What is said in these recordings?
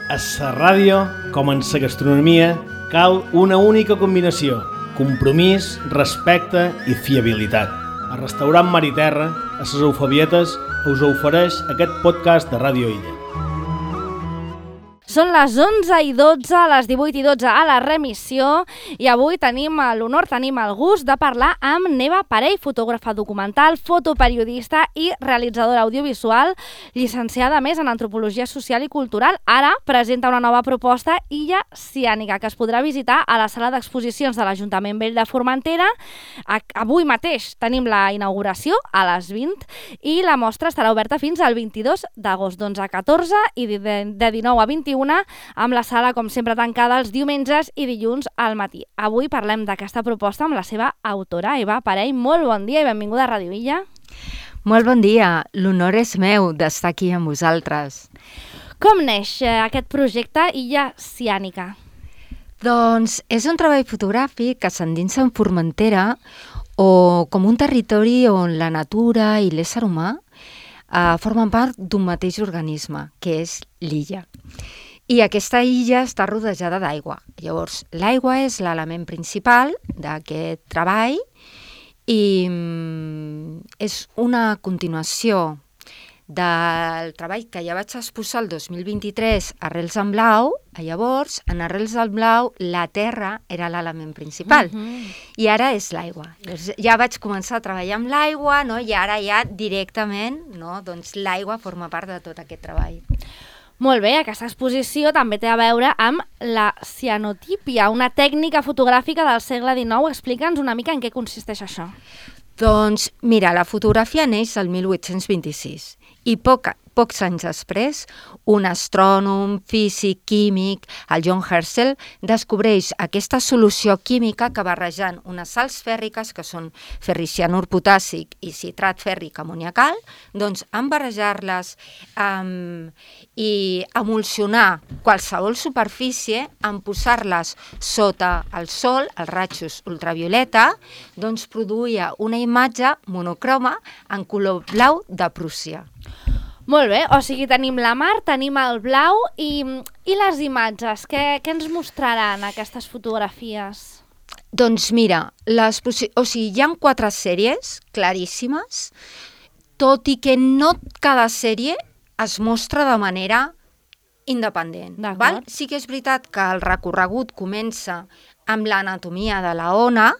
A la ràdio, com en la gastronomia, cal una única combinació: compromís, respecte i fiabilitat. El restaurant Mar i Terra, a les Eufebietes, us ofereix aquest podcast de Ràdio Illa. Són les 11:12, les 18:12 a la remissió i avui tenim l'honor, tenim el gust de parlar amb Neva Parell, fotògrafa documental, fotoperiodista i realitzadora audiovisual, llicenciada a més en Antropologia Social i Cultural. Ara presenta una nova proposta, Illa Ciànica, que es podrà visitar a la sala d'exposicions de l'Ajuntament Vell de Formentera. Avui mateix tenim la inauguració a les 20 i la mostra estarà oberta fins al 22 d'agost, d'11 a 14 i de 19 a 21, amb la sala, com sempre, tancada els diumenges i dilluns al matí. Avui parlem d'aquesta proposta amb la seva autora, Eva Parell. Molt bon dia i benvinguda a Ràdio Illa. Molt bon dia. L'honor és meu d'estar aquí amb vosaltres. Com neix aquest projecte Illa Ciànica? Doncs és un treball fotogràfic que s'endinsa en Formentera o com un territori on la natura i l'ésser humà formen part d'un mateix organisme, que és l'illa. I aquesta illa està rodejada d'aigua. Llavors, l'aigua és l'element principal d'aquest treball i és una continuació del treball que ja vaig exposar el 2023 a Arrels en Blau. Llavors, en Arrels en Blau, la terra era l'element principal i ara és l'aigua. Ja vaig començar a treballar amb l'aigua, no? I ara ja directament, no? Doncs l'aigua forma part de tot aquest treball. Molt bé, aquesta exposició també té a veure amb la cianotípia, una tècnica fotogràfica del segle XIX. Explica'ns una mica en què consisteix això. Doncs mira, la fotografia neix el 1826 i pocs anys després, un astrònom, físic, químic, el John Herschel, descobreix aquesta solució química que barrejant unes sals fèrriques, que són ferricianur potàssic i citrat fèrric amoniacal, doncs en barrejar-les i emulsionar qualsevol superfície, en posar-les sota el sol, els rajos ultravioleta, doncs produïa una imatge monocroma en color blau de Prússia. Molt bé, o sigui, tenim la mar, tenim el blau i les imatges. Què ens mostraran aquestes fotografies? Doncs mira, hi ha 4 sèries claríssimes, tot i que no cada sèrie es mostra de manera independent. Val? Sí que és veritat que el recorregut comença amb l'anatomia de la ona,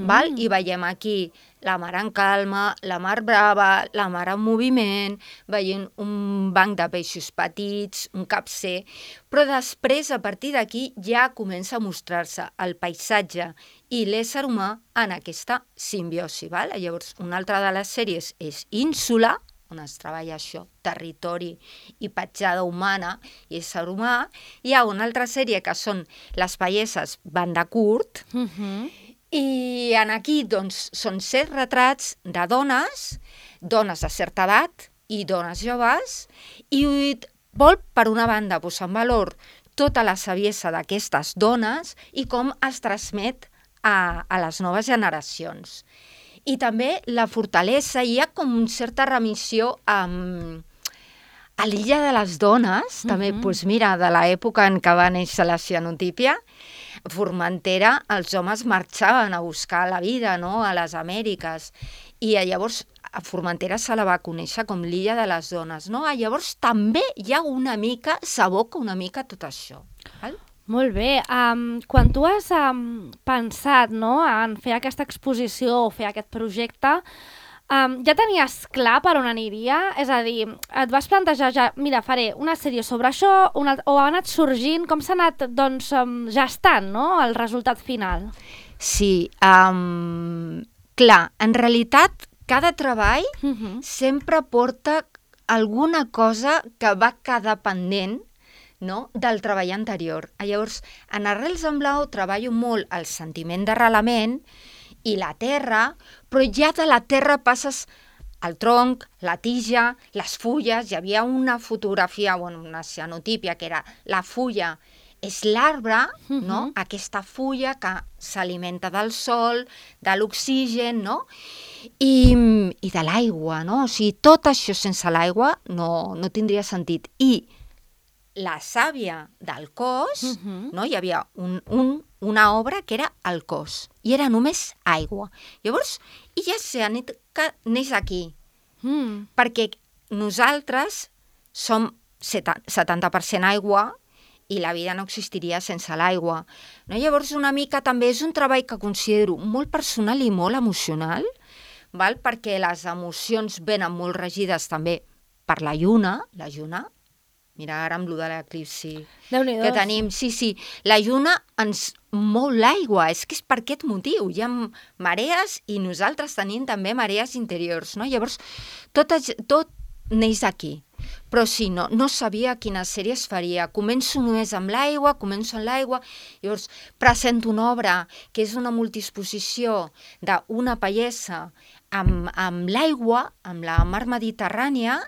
val? I veiem aquí la mar en calma, la mar brava, la mar en moviment, veient un banc de peixos petits, un capcer, però després, a partir d'aquí, ja comença a mostrar-se el paisatge i l'ésser humà en aquesta simbiosi. Val? Llavors, una altra de les sèries és Ínsula, on es treballa això, territori i petjada humana i ésser humà. Hi ha una altra sèrie que són les paieses banda curt, i aquí doncs, són 7 retrats de dones de certa edat i dones joves, i vol, per una banda, posar en valor tota la saviesa d'aquestes dones i com es transmet a les noves generacions. I també la fortalesa, hi ha com una certa remissió a l'illa de les dones, també, doncs mira, de l'època en què va néixer la cianotípia. Formentera, els homes marxaven a buscar la vida, no?, a les Amèriques, i llavors a Formentera se la va conèixer com l'illa de les dones, no? Llavors també hi ha una mica, s'aboca una mica tot això. Val? Molt bé. Quan tu has pensat, no?, en fer aquesta exposició o fer aquest projecte, ja tenies clar per on aniria? És a dir, et vas plantejar ja, mira, faré una sèrie sobre això, o ha anat sorgint, com s'ha anat, doncs, gestant, no?, el resultat final? Sí, clar, en realitat cada treball sempre porta alguna cosa que va quedar pendent, no?, del treball anterior. Llavors, en Arrels en Blau treballo molt el sentiment d'arrelament i la terra, però ja de la terra passes al tronc, la tija, les fulles. Hi havia una fotografia, una cianotípia, que era la fulla és l'arbre, no?, aquesta fulla que s'alimenta del sol, de l'oxigen, no?, i de l'aigua, no? O sigui, tot això sense l'aigua no tindria sentit. I la sàvia del cos, no? Hi havia una obra que era el cos, i era només aigua. Llavors, ella neix aquí, perquè nosaltres som 70% aigua i la vida no existiria sense l'aigua. No? Llavors, una mica també és un treball que considero molt personal i molt emocional, val? Perquè les emocions venen molt regides també per la lluna. Mira, ara amb lo de l'eclipsi que tenim. Sí, la lluna ens mou l'aigua, és que és per aquest motiu. Hi ha marees i nosaltres tenim també marees interiors, no? Llavors, tot neix aquí. Però sí, no sabia quina sèrie es faria. Començo només amb l'aigua, llavors presento una obra que és una multiexposició d'una pallessa amb l'aigua, amb la mar Mediterrània,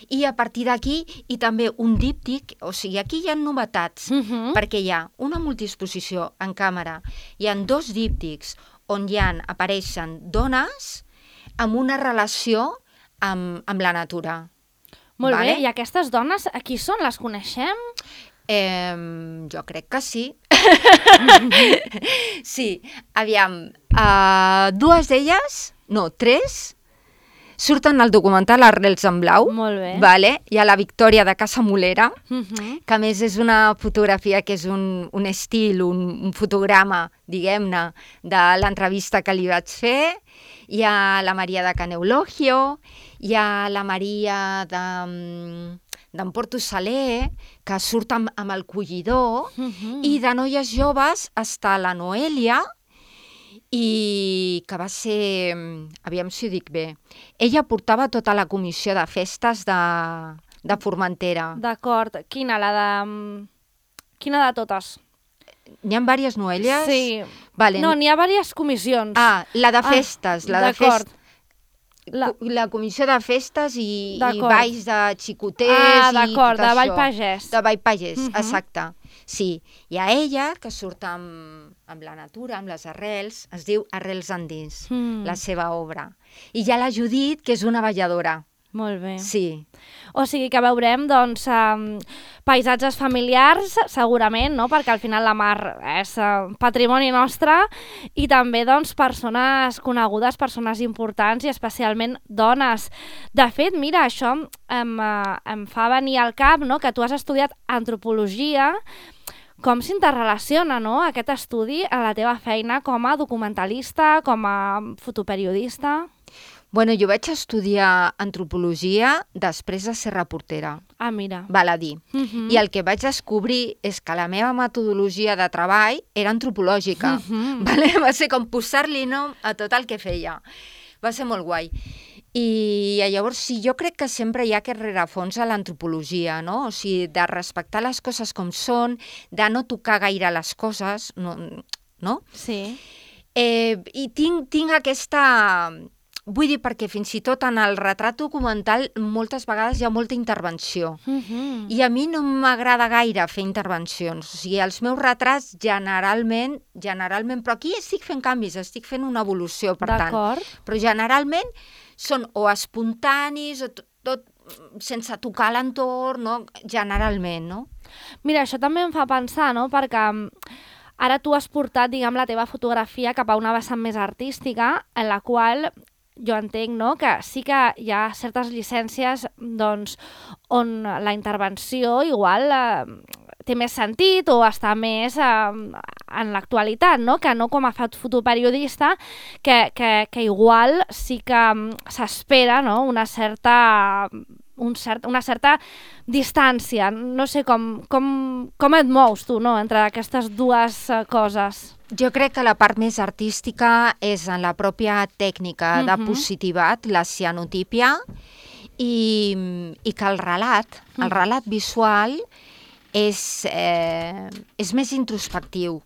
i a partir d'aquí, i també un díptic, o sigui, aquí hi ha novetats, perquè hi ha una multiexposició en càmera, hi ha 2 díptics on apareixen dones amb una relació amb la natura. Molt bé, i aquestes dones, qui són? Les coneixem? Jo crec que sí. Sí, aviam, 2 d'elles, no, 3, surten al documental Arrels en blau. Molt bé. Vale? Hi ha la Victòria de Casa Molera, que a més és una fotografia que és un estil, un fotograma, diguem-ne, de l'entrevista que li vaig fer. Hi ha la Maria de Caneulogio, hi ha la Maria d'en Porto Saler, que surt amb el collidor, i de noies joves està la Noèlia, i que va ser, aviam si ho dic bé, ella portava tota la comissió de festes de Formentera. D'acord. Quina de totes? N'hi ha diverses Noèlies? Sí. Vale. No, n'hi ha diverses comissions. La de festes. D'acord. La comissió de festes i balls de xicoters i tot això. De Ball Pagès. De Ball Pagès, exacte. Sí, hi ha ella que surt amb la natura, amb les arrels, es diu Arrels endins, la seva obra. I hi ha la Judit, que és una balladora. Molt bé. Sí. O sigui que veurem, doncs, paisatges familiars, segurament, no? Perquè al final la mar és patrimoni nostre, i també, doncs, persones conegudes, persones importants i especialment dones. De fet, mira, això em fa venir al cap, no?, que tu has estudiat antropologia. Com s'interrelaciona, no?, aquest estudi a la teva feina com a documentalista, com a fotoperiodista? Bueno, jo vaig estudiar antropologia després de ser reportera. Ah, mira. Val a dir. I el que vaig descobrir és que la meva metodologia de treball era antropològica. Vale? Va ser com posar-li nom a tot el que feia. Va ser molt guai. I llavors sí, jo crec que sempre hi ha aquest rerefons a l'antropologia, no? O sigui, de respectar les coses com són, de no tocar gaire les coses, no? Sí. I tinc aquesta... Vull dir, perquè fins i tot en el retrat documental moltes vegades hi ha molta intervenció. I a mi no m'agrada gaire fer intervencions. O sigui, els meus retrats generalment, però aquí estic fent canvis, estic fent una evolució, per tant. Però generalment són o espontanis o tot sense tocar l'entorn, no? Generalment, no? Mira, això també em fa pensar, no?, perquè ara tu has portat, diguem, la teva fotografia cap a una vessant més artística, en la qual jo entenc, no?, que sí que hi ha certes llicències, doncs, on la intervenció igual té més sentit o està més en l'actualitat, no?, que no com a fotoperiodista, que igual sí que s'espera, no?, una certa distància. No sé com et mous tu, no?, entre aquestes dues coses. Jo crec que la part més artística és en la pròpia tècnica de positivat, la cianotípia, i que el relat visual és més introspectiu.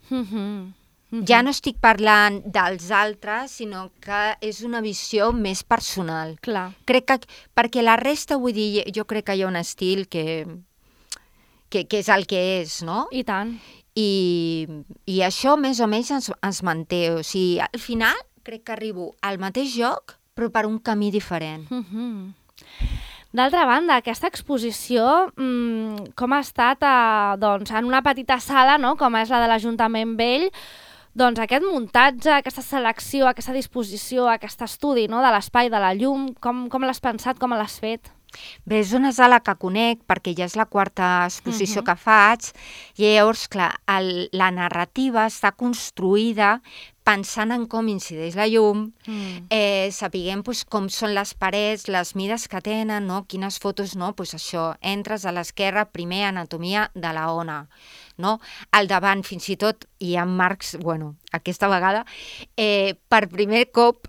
Ja no estic parlant dels altres, sinó que és una visió més personal. Clar. Crec que, perquè la resta, vull dir, jo crec que hi ha un estil que és el que és, no? I tant. I això més o menys ens manté. O sigui, al final crec que arribo al mateix lloc, però per un camí diferent. D'altra banda, aquesta exposició, com ha estat doncs, en una petita sala, no? Com és la de l'Ajuntament Vell, doncs aquest muntatge, aquesta selecció, aquesta disposició, aquest estudi, no? De l'espai, de la llum, com l'has pensat, com l'has fet? Bé, és una sala que conec perquè ja és la quarta exposició que faig i llavors, clar, la narrativa està construïda pensant en com incideix la llum, sapiguem com són les parets, les mides que tenen, no? Quines fotos, no? Pues això, entres a l'esquerra, primer anatomia de la ona, no? Al davant, fins i tot, hi ha marcs, bueno, aquesta vegada, per primer cop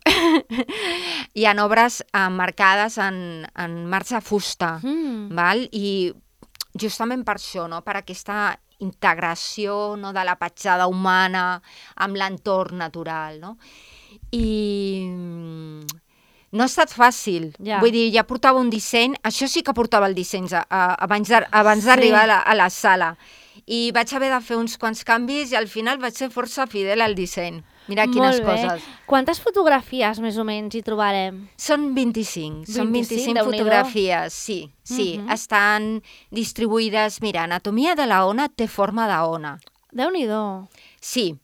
hi ha obres marcades en marcs de fusta, val? I justament per això, no? Per aquesta integració, no, de la petjada humana amb l'entorn natural, no? I no ha estat fàcil. Vull dir, ja portava un disseny, això sí que portava el disseny abans d'arribar a la sala. I vaig haver de fer uns quants canvis i al final vaig ser força fidel al disseny. Mira quines coses. Quantes fotografies més o menys hi trobarem? Són 25. Són 25 fotografies, sí. Estan distribuïdes... Mira, anatomia de la ona té forma d'ona. Déu-n'hi-do. Sí.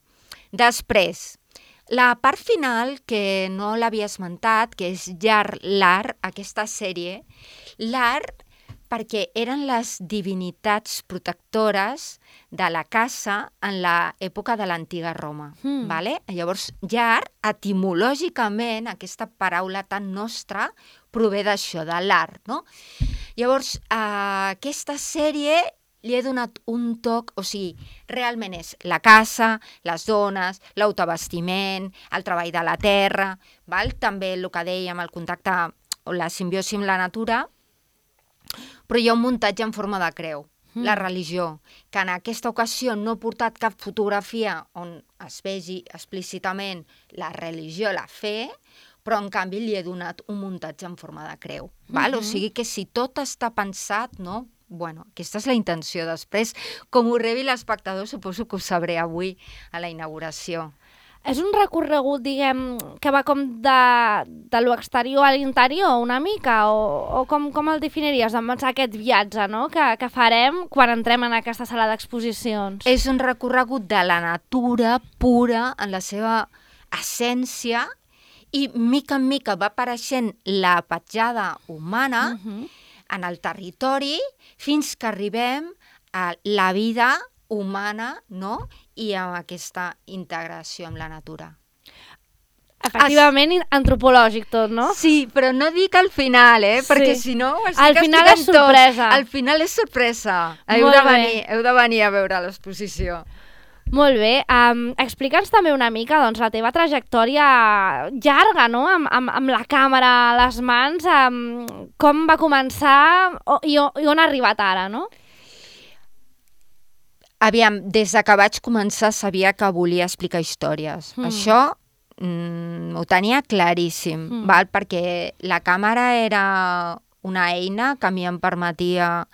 Després, la part final, que no l'havia esmentat, que és l'art, aquesta sèrie, l'art perquè eren les divinitats protectores de la casa en l'època de l'antiga Roma. Vale? Llavors, llar, etimològicament, aquesta paraula tan nostra, prové d'això, de l'art, no? Llavors, aquesta sèrie li he donat un toc, o sigui, realment és la casa, les dones, l'autovestiment, el treball de la terra, val? També el que dèiem, el contacte o la simbiosi amb la natura, però hi ha un muntatge en forma de creu, la religió, que en aquesta ocasió no he portat cap fotografia on es vegi explícitament la religió, la fe, però en canvi li he donat un muntatge en forma de creu. Val? O sigui que si tot està pensat, no? Bueno, aquesta és la intenció. Després, com ho rebi l'espectador, suposo que ho sabré avui a la inauguració. És un recorregut, diguem, que va com de l'exterior a l'interior una mica? O com el definiries, doncs, aquest viatge, no? que farem quan entrem en aquesta sala d'exposicions? És un recorregut de la natura pura en la seva essència i mica en mica va apareixent la petjada humana en el territori fins que arribem a la vida humana, no? I amb aquesta integració amb la natura. Efectivament, antropològic tot, no? Sí, però no dic al final, perquè si no ho estic al final és sorpresa. Al final és sorpresa. Heu de venir a veure l'exposició. Molt bé. Explica'ns també una mica doncs, la teva trajectòria llarga, no? Amb la càmera a les mans, com va començar i on ha arribat ara, no? Aviam, des que vaig començar sabia que volia explicar històries. Això ho tenia claríssim, val? Perquè la càmera era una eina que a mi em permetia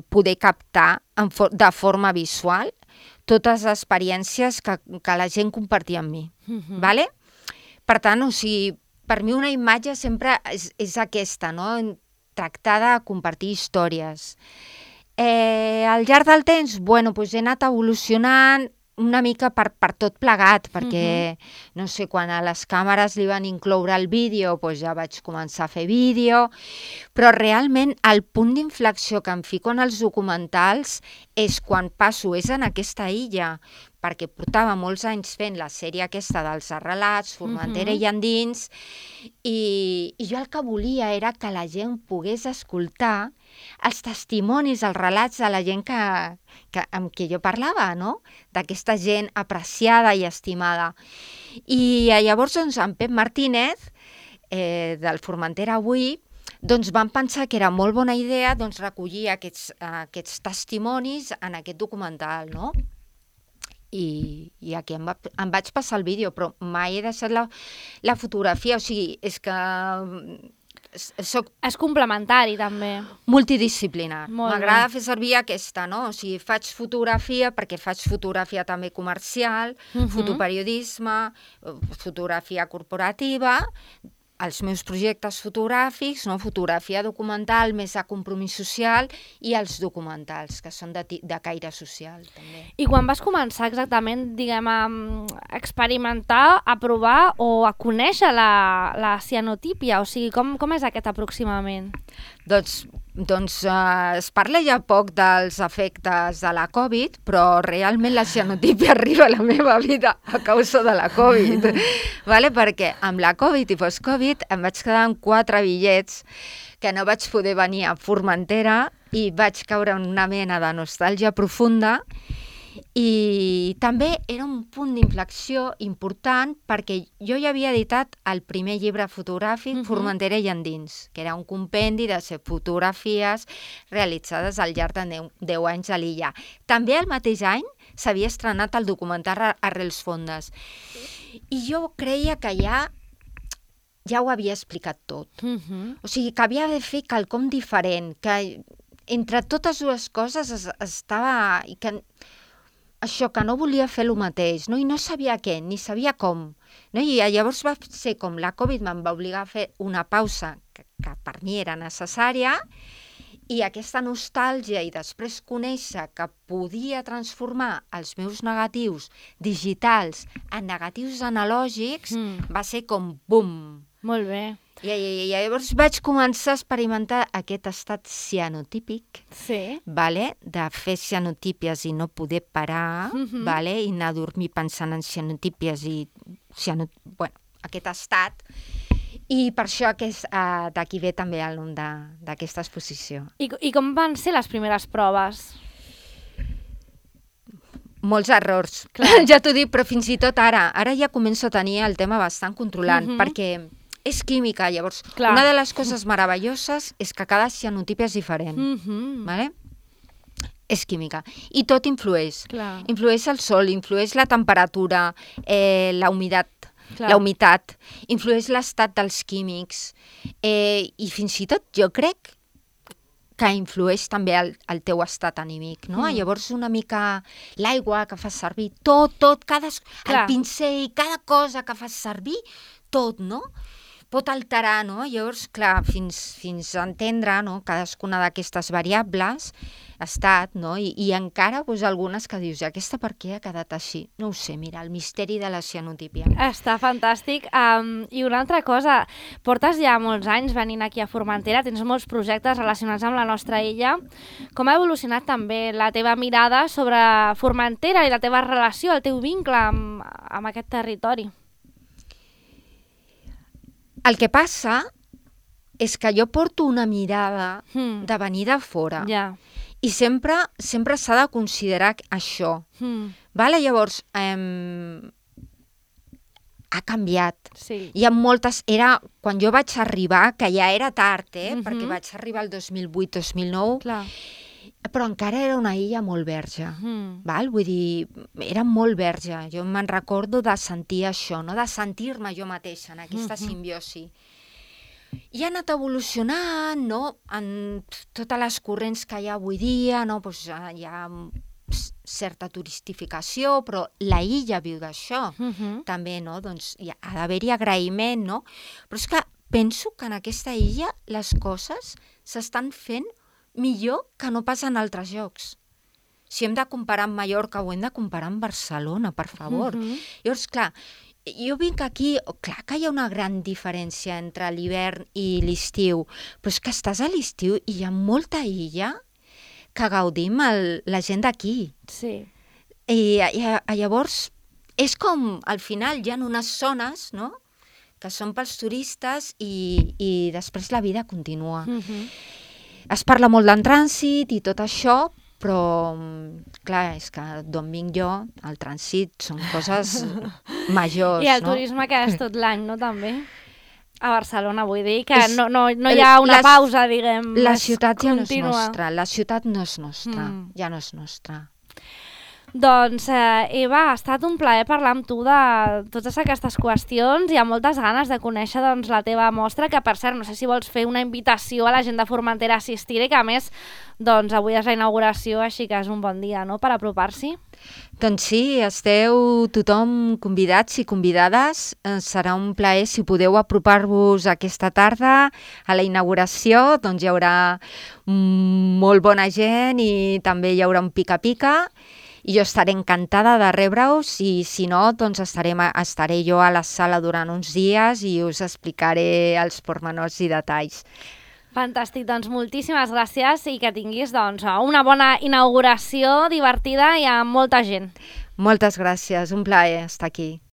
poder captar de forma visual totes les experiències que la gent compartia amb mi. Vale? Per tant, o sigui, per mi una imatge sempre és aquesta, no? Tractar de compartir històries. Al llarg del temps, bueno, doncs he anat evolucionant una mica per tot plegat, perquè, no sé, quan a les càmeres li van incloure el vídeo, doncs ja vaig començar a fer vídeo, però realment el punt d'inflexió que em fico en els documentals és quan passo, és en aquesta illa, perquè portava molts anys fent la sèrie aquesta dels relats, Formentera i endins, i jo el que volia era que la gent pogués escoltar els testimonis, els relats de la gent amb qui jo parlava, no? D'aquesta gent apreciada i estimada. I llavors, doncs, en Pep Martínez, del Formentera Avui, doncs vam pensar que era molt bona idea recollir aquests testimonis en aquest documental, no? I aquí em vaig passar el vídeo, però mai he deixat la fotografia, o sigui, és que és complementari, també. Multidisciplinar. M'agrada fer servir aquesta, no? O sigui, faig fotografia perquè faig fotografia també comercial, fotoperiodisme, fotografia corporativa, els meus projectes fotogràfics, no? Fotografia documental, més de compromís social, i els documentals, que són de caire social, també. I quan vas començar exactament, diguem, a experimentar, a provar o a conèixer la cianotípia? O sigui, com és aquest aproximament? Doncs es parla ja poc dels efectes de la Covid, però realment la cianotípia arriba a la meva vida a causa de la Covid. Vale? Perquè amb la Covid i post-Covid em vaig quedar amb 4 bitllets que no vaig poder venir a Formentera i vaig caure en una mena de nostàlgia profunda. I també era un punt d'inflexió important perquè jo ja havia editat el primer llibre fotogràfic, Formentera i endins, que era un compendi de 7 fotografies realitzades al llarg de 10 anys a l'illa. També el mateix any s'havia estrenat el documental Arrels Fondes. I jo creia que ja ho havia explicat tot. O sigui, que havia de fer quelcom diferent, que entre totes dues coses estava... Això, que no volia fer el mateix, no? I no sabia què, ni sabia com. No? I llavors va ser com la Covid me'n va obligar a fer una pausa que per mi era necessària, i aquesta nostàlgia i després conèixer que podia transformar els meus negatius digitals en negatius analògics va ser com bum! Molt bé. I llavors vaig començar a experimentar aquest estat cianotípic, vale? De fer cianotípies i no poder parar, vale? I anar a dormir pensant en cianotípies i aquest estat. I per això d'aquí ve també el nom d'aquesta exposició. I com van ser les primeres proves? Molts errors, ja t'ho dic, però fins i tot ara ja començo a tenir el tema bastant controlant, perquè és química, llavors. Una de les coses meravelloses és que cada cianotipia és diferent, vale? És química. I tot influeix. Influeix el sol, influeix la temperatura, la humitat, influeix l'estat dels químics, i fins i tot jo crec que influeix també el teu estat anímic, no? Llavors una mica l'aigua que fas servir, tot, el pincell, cada cosa que fas servir, tot, no? Pot alterar, no? Llavors, clar, fins a entendre, no? Cadascuna d'aquestes variables, estat, no? I encara algunes que dius, aquesta per què ha quedat així? No ho sé, mira, el misteri de la cianotípia. Està fantàstic. I una altra cosa, portes ja molts anys venint aquí a Formentera, tens molts projectes relacionats amb la nostra illa. Com ha evolucionat també la teva mirada sobre Formentera i la teva relació, el teu vincle amb aquest territori? El que passa és que jo porto una mirada de venir de fora. I sempre s'ha de considerar això. Vale? Llavors, ha canviat. Hi ha moltes... Quan jo vaig arribar, que ja era tard, perquè vaig arribar el 2008-2009, però encara era una illa molt verge. Vull dir, era molt verge. Jo me'n recordo de sentir això, no? De sentir-me jo mateixa en aquesta simbiosi. I ha anat evolucionant, no? En totes les corrents que hi ha avui dia, no? Pues hi ha certa turistificació, però la illa viu d'això. També, no? Doncs ha d'haver-hi agraïment, no? Però és que penso que en aquesta illa les coses s'estan fent millor que no pas en altres llocs. Si hem de comparar amb Mallorca o hem de comparar amb Barcelona, per favor. Llavors, clar, jo vinc aquí, clar que hi ha una gran diferència entre l'hivern i l'estiu, però és que estàs a l'estiu i hi ha molta illa que gaudim la gent d'aquí. I llavors, és com, al final, hi ha unes zones, no?, que són pels turistes i després la vida continua. Es parla molt d'en trànsit i tot això, però, clar, és que d'on vinc jo, el trànsit són coses majors, no? I el turisme que és tot l'any, no, també? A Barcelona, vull dir, que no hi ha una pausa, diguem, la ciutat ja no és nostra, la ciutat no és nostra, ja no és nostra. Doncs, Eva, ha estat un plaer parlar amb tu de totes aquestes qüestions i amb moltes ganes de conèixer doncs, la teva mostra, que per cert, no sé si vols fer una invitació a la gent de Formentera a assistir i que a més doncs, avui és la inauguració, així que és un bon dia, no?, per apropar-s'hi. Doncs sí, esteu tothom convidats i convidades. Serà un plaer si podeu apropar-vos aquesta tarda a la inauguració. Doncs hi haurà molt bona gent i també hi haurà un pica-pica i jo estaré encantada de rebre-us i si no, doncs estaré jo a la sala durant uns dies i us explicaré els pormenors i detalls. Fantàstic, doncs moltíssimes gràcies i que tinguis doncs, una bona inauguració divertida i amb molta gent. Moltes gràcies, un plaer estar aquí.